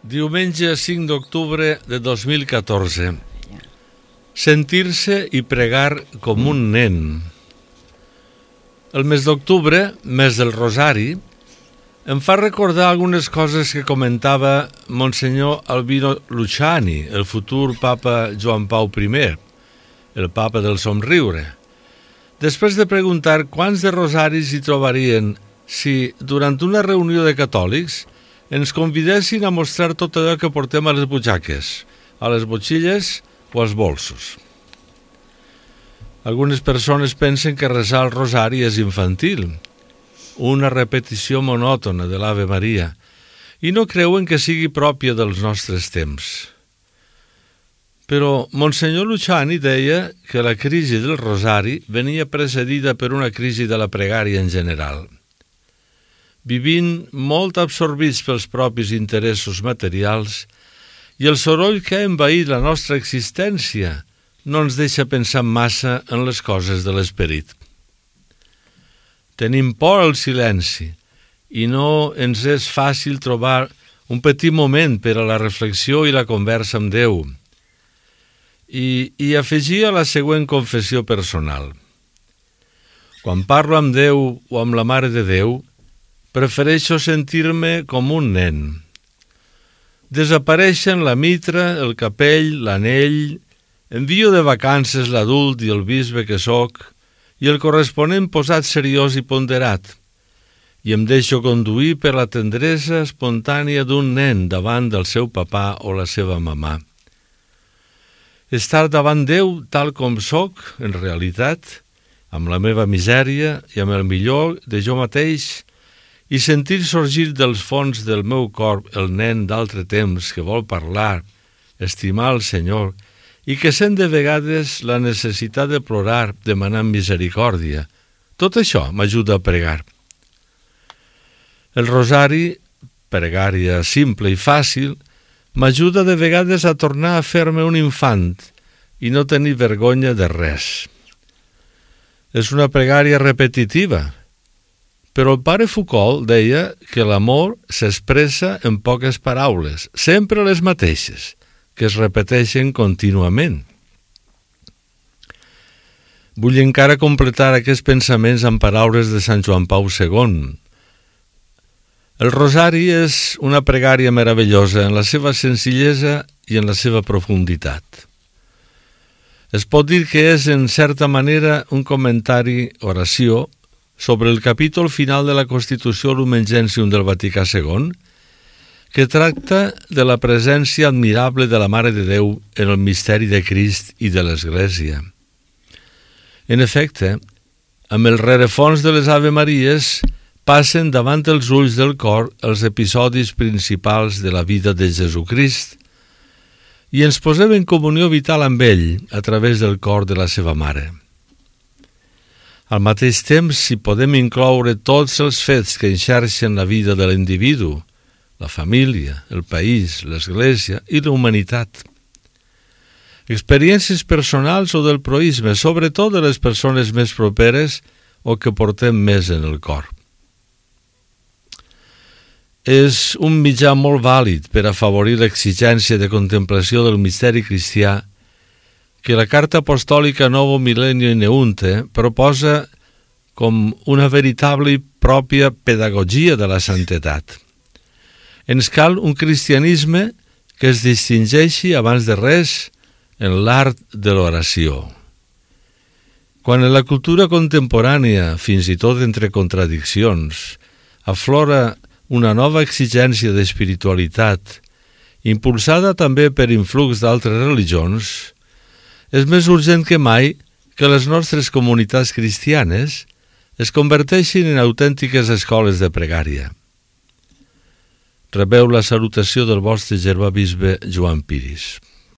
Diumenge 5 d'octubre de 2014. Sentir-se i pregar com un nen. El mes d'octubre, mes del Rosari, em fa recordar algunes coses que comentava Monsenyor Albino Luciani, el futur papa Joan Pau I, el papa del somriure. Després de preguntar quants de rosaris hi trobarien si, durant una reunió de catòlics, ens convidessin a mostrar tot allò que portem a les butxaques, a les motxilles o als bolsos. Algunes persones pensen que resar el rosari és infantil, una repetició monòtona de l'Ave Maria, i no creuen que sigui pròpia dels nostres temps. Però Monsenyor Luciani deia que la crisi del rosari venia precedida per una crisi de la pregària en general. Vivint molt absorbits pels propis interessos materials i el soroll que ha envaït la nostra existència no ens deixa pensar massa en les coses de l'esperit. Tenim por al silenci i no ens és fàcil trobar un petit moment per a la reflexió i la conversa amb Déu. I afegia la següent confessió personal. Quan parlo amb Déu o amb la Mare de Déu, prefereixo sentir-me com un nen. Desapareixen la mitra, el capell, l'anell, envio de vacances l'adult i el bisbe que sóc i el corresponent posat seriós i ponderat, i em deixo conduir per la tendresa espontània d'un nen davant del seu papà o la seva mamà. Estar davant Déu tal com sóc, en realitat, amb la meva misèria i amb el millor de jo mateix, i sentir sorgir dels fons del meu cor el nen d'altre temps que vol parlar, estimar el Senyor i que sent de vegades la necessitat de plorar demanant misericòrdia. Tot això m'ajuda a pregar. El rosari, pregària simple i fàcil, m'ajuda de vegades a tornar a fer-me un infant i no tenir vergonya de res. És una pregària repetitiva, però el pare Foucault deia que l'amor s'expressa en poques paraules, sempre les mateixes, que es repeteixen contínuament. Vull encara completar aquests pensaments amb paraules de Sant Joan Pau II. El rosari és una pregària meravellosa en la seva senzillesa i en la seva profunditat. Es pot dir que és, en certa manera, un comentari, oració, sobre el capítol final de la Constitució Lumen Gentium del Vaticà II, que tracta de la presència admirable de la Mare de Déu en el misteri de Crist i de l'Església. En efecte, amb el rerefons de les Ave Maries passen davant els ulls del cor els episodis principals de la vida de Jesucrist i ens posem en comunió vital amb ell a través del cor de la seva Mare. Al mateix temps, si podem incloure tots els fets que enxarxen la vida de l'individu, la família, el país, l'Església i la humanitat. Experiències personals o del proïsme, sobretot de les persones més properes o que portem més en el cor. És un mitjà molt vàlid per afavorir l'exigència de contemplació del misteri cristià que la Carta Apostòlica Novo Millennio in Eunte proposa com una veritable i pròpia pedagogia de la santedat. Ens cal un cristianisme que es distingeixi abans de res en l'art de l'oració. Quan en la cultura contemporània, fins i tot entre contradiccions, aflora una nova exigència d'espiritualitat, impulsada també per influx d'altres religions, és més urgent que mai que les nostres comunitats cristianes es converteixin en autèntiques escoles de pregària. Rebeu la salutació del vostre germà bisbe Joan Piris.